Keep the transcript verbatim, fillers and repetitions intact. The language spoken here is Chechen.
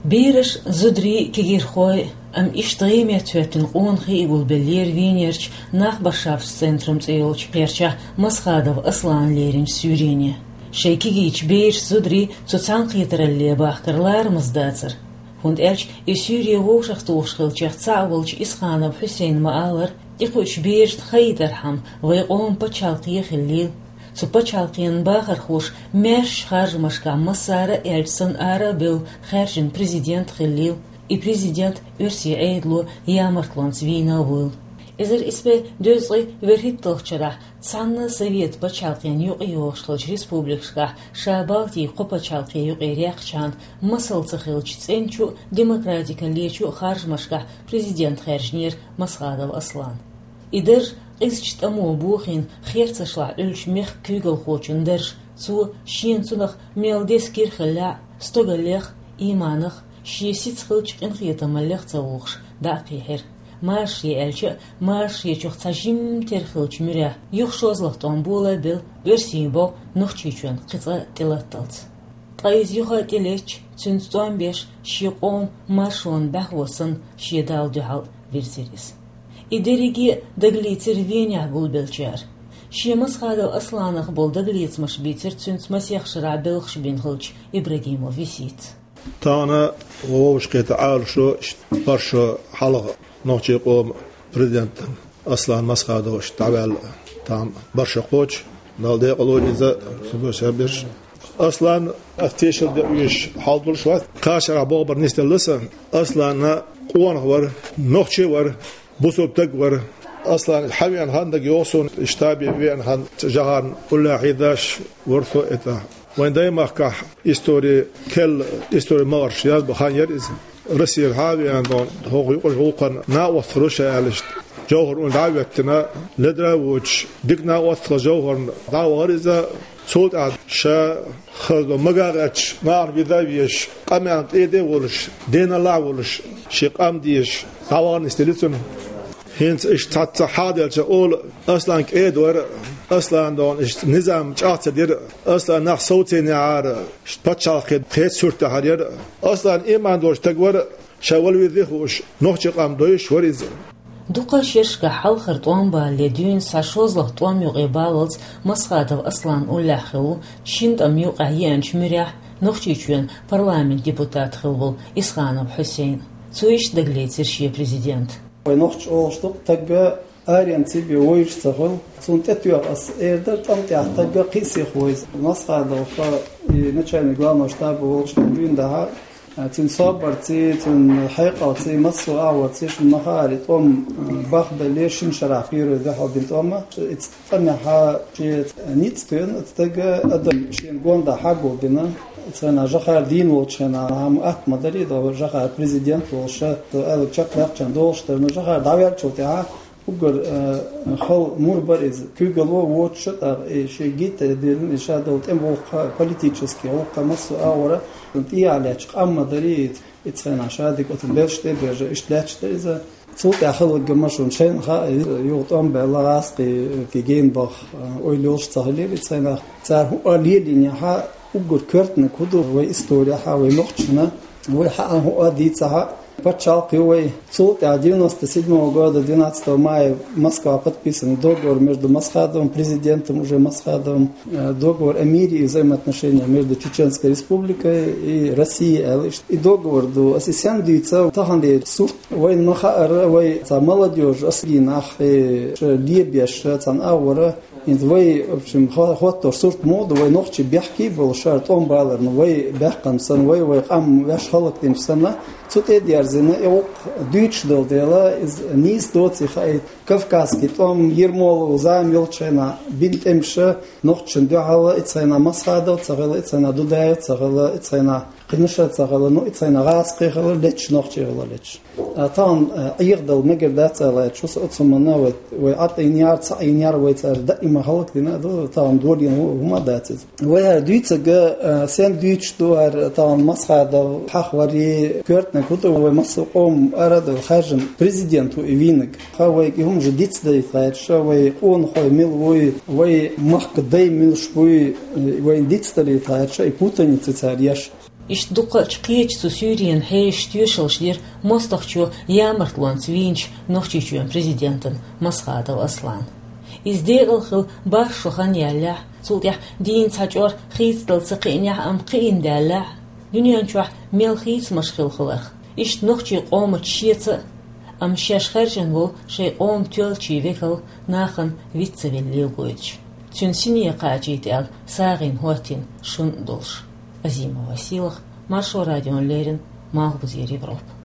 Бераш, зударий, кегирхой, ам иштта гӀеметтахӀоьттина къонахий гулбеллера Венерчу Нахбашафс центрум цӀе йолчу кхерчахь Масхадов Аслана леринчу суьйрене. Шайн кегийчу бераш, зударий цу цхьаьнакхетаралле бахкар ларамаза дацара. ХӀунда аьлча и суьйре вовшахтухуш хиллачех цхьаъ волчу Исханов Хьусейна ма-аллара, тӀекхуьучу берашна хаийтархьама, вайн къоман пачхьалкхе хиллийла. Цу пачхьалкхенан бахархоша маьршачу харжамашкахь массара а аьлча санна ара а бевлла хаьржина президент а хиллийла. И президент оьрсийн Ӏедало ямартлонца вийна а вуйла. Эзар исс бӀе дезткъе вуьрхӀитталгӀачу шарахь цхьана а Совет пачхьалкхенна юкъа йогӀуш хиллачу республикашкахь, ша Балтийн кхо пачхьалкхе юкъе раьккхичхьана, масал ца хиллачу цӀеначу а, демократикаллечу а харжамашкахь президент хаьржинера Масхадов Аслан. И дарж, къизачу тӀамо бохийна, херцашлахь Ӏуьллучу мехкан куьйгалхочун дарж, цо шена цунах мел деза кира хиллехь а, стогаллех, ийманах, шен сица хиллачу къинхетамаллех ца вухуш, дӀа а кхийхьира. Машаре аьлча а, машаречух цхьа жимма тера хиллачу муьрехь, юха шозлагӀа тӀом бола а белла, оьрсийн бӀо Нохчийчоьнна кхин цкъа а тӀелатталц. Ткъа иза юха а тӀелеттача, цуьнца тӀом беш, шен къоман маршонан бӀаьхо санна, шен Далла дуьхьал вирзира иза. И дерриге а дагалецира Венехь гулбеллачара. Шен Масхадов Асланах болу дагалецамаш бийцира цуьнца масех шарахь белхаш бина хиллачу Ибрагимов Висита. Тахана вовшахкхетта Ӏалашо, бархӀ шо хьалха нохчийн къоман президент Аслан Масхадов иштта дӀаваьлла, тахана бархӀ шо кхочу, Далла декъала войла иза, цуьнан беш. Аслан, ас тешал де везаш хьал долуш вац, кхаа шарахь бохург нисделла сан. Аслан къонах вара, нохчи вара, бусалба стаг вара. Аслан хьавеана хан дага йогӀу суна, штабе веана хан, Жохарна уллехь хьийзаш вара со и тӀехь. Вайн даймахкахь истори, керла истори магӀарш язбан хан яра иза. Россера хьа а веана, хӀокху юкъара гӀуллакхана накъосталла ша аьлла иштта, Жохар уьш дӀа а хӀоьттина, ледара а воцуш, дика накъосталла Жохарна дӀа а вахара иза. Цул тӀаьхьа ша хаза ма гӀерташ, нахана виза а везаш, къамелна тӀе а волуш, денал а волуш, шен къам дезаш, дӀавахана нисделла цунна. ХӀинца иштта цхьацца хьаделча олу, Аслан кӀеда вара, Аслан дона иштта низам чӀагӀ ца дира, Аслан нах совцийнехьара, иштта пачхьалкхе кхечу суртехьара яра. Аслан ийман долуш стаг вара, ша вала везий хууш, нохчийн къам дойуш вара иза. Дукха шерашкахь хьалхара тӀом балале дуьйна схьа шозлагӀа тӀом юкъе баллалц Масхадов Аслан уллехь хилла ву шина тӀамна юкъахь еанчу муьрехь Нохчийчоьнан парламентан депутат хилла волу Исханов Хьусейн. Цо иштта дагалецира шен президент. Вай нохчаша олуш ду-кх, стаг аренца бен вовзаш ца хуьлу. Цунна тӀетоьхна ас эр дара, тӀам тӀехь стаг кхин а сиха вовза. Масхадов и начальник главного штаба волчу дуьйна дахьа, цуьнан собарций, цуьнан хьекъалций, массо а агӀорций шуна ма хаара, и тӀом бахбеллера шина шарахь, первый дуьхьал бина тӀом а. Иза тӀамехь шен ницкъ тоьхна стага, адам шена гондӀа хьагулбина. Цхьана Жохар дийна волчу хенахь, хӀама атта ма дарий, Жохар президент волуш, аьлларг чекхдаьккхина долуш дара, но Жохар дӀаваьллачул тӀаьхьа уггар, э, хала мур бара иза. Куьйгалло воцуш а, тӀаккха и шен гита диллина, и ша долу тӀеман гӀуллакх, политический гӀуллакх, массо а агӀора, тӀехьа лаьтташ къам ма дарий, и цхьана ша дика оцу белш тӀе а бежа, иштта лаьтташ дара иза. Цул тӀаьхьа хилларг ма шуна шайна хаьа, юха тӀом баьлла гӀазкхий, кегийна баха ойла йолуш ца хиллера и цхьана. Цара хӀуъа лелийнехь, уггар коьртаниг хӀун ду вай исторехь, вай нохчашна, вай хьаьа хӀуъа дийцахь, пачхьалкх ю вай. Цул тӀаьхьа девяносто седьмого года двенадцатого мая Москва подписан договор между Масхадовым, президентом уже Масхадовым, э, договор о мире и взаимоотношениях между Чеченской Республикой и Россией, аьлла иштта. И договор ду, ас и сенна дуьйцу, таханлера сурт вайна ма хаьара, вай цхьа молодёжь, ас гинахь, и ша лебеш, цхьана агӀора, хӀинца вай, в общем, хо-, хӀоттор сурт муха ду, вай нохчий бехке а болуш, шара тӀом баларна, вай баьккхина санна, вай, вай къам ваьш хӀаллакдинчу санна, цу тӀе а дерзина, и гӀуллакх дуьйцуш долу дела, иза нийса доций хаийта. Кавказский тӀом, Ермолов зама йолчу хенахь бина тӀемаш, нохчашна дуьхьал, и цхьана Масхадов ца хилла, и цхьана Дудаев ца хилла, и цхьана кхинаш а ца хилла, ну, и цхьана гӀазкхий хилла летташ, нохчий хилла летташ. А тахана, а, Ӏехадала мегар дац аьлла, шу со оцу хӀуманна вай, вай Ӏа тӀе йинера, цхьаъ йинера вай цара даима хӀаллакдина а ду, тахана долийна хӀу-, хӀума а дац иза. Вай хӀара дуьйцург, а, сенна дуьйцуш ду хӀара тахана Масхадов хьахаварий, коьртаниг хӀун ду вай массо а къоман ара а довла хаьржина президент ву и вийнарг. Хьа вайга и хӀуманаш дицдалийта гӀерташ, вай къонахой мила вуй, вай махкан дай милаш буй, вайна дицдалийта гӀерташ, и путаница цара еш. Иштта дукхача кхеча цу суьйренан хьежаш тоьшаллаш дира мостагӀчо ямартлонца вийнача Нохчийчоьнан президентана Масхадов Аслана. Иза декъала хила бархӀ шо хан яьллехь, цул тӀаьхьа дийна цхьа чӀор хийцадала ца кхиънехь, амма кхиъна даьллехь, дуьнен чохь мел хийцамаш хилла хиларх, иштта нохчийн къомаца шеца а, амма шаьш хаьржина волу шайн къоман тоьллачийн векал нахана виц ца велла лелойтуш, цуьнан сине кхачийта аьлла сагӀина хӀоттийна шун а долуш. Азимова Сийлаха, Маршо радиона леррина, Малхбузера Европа.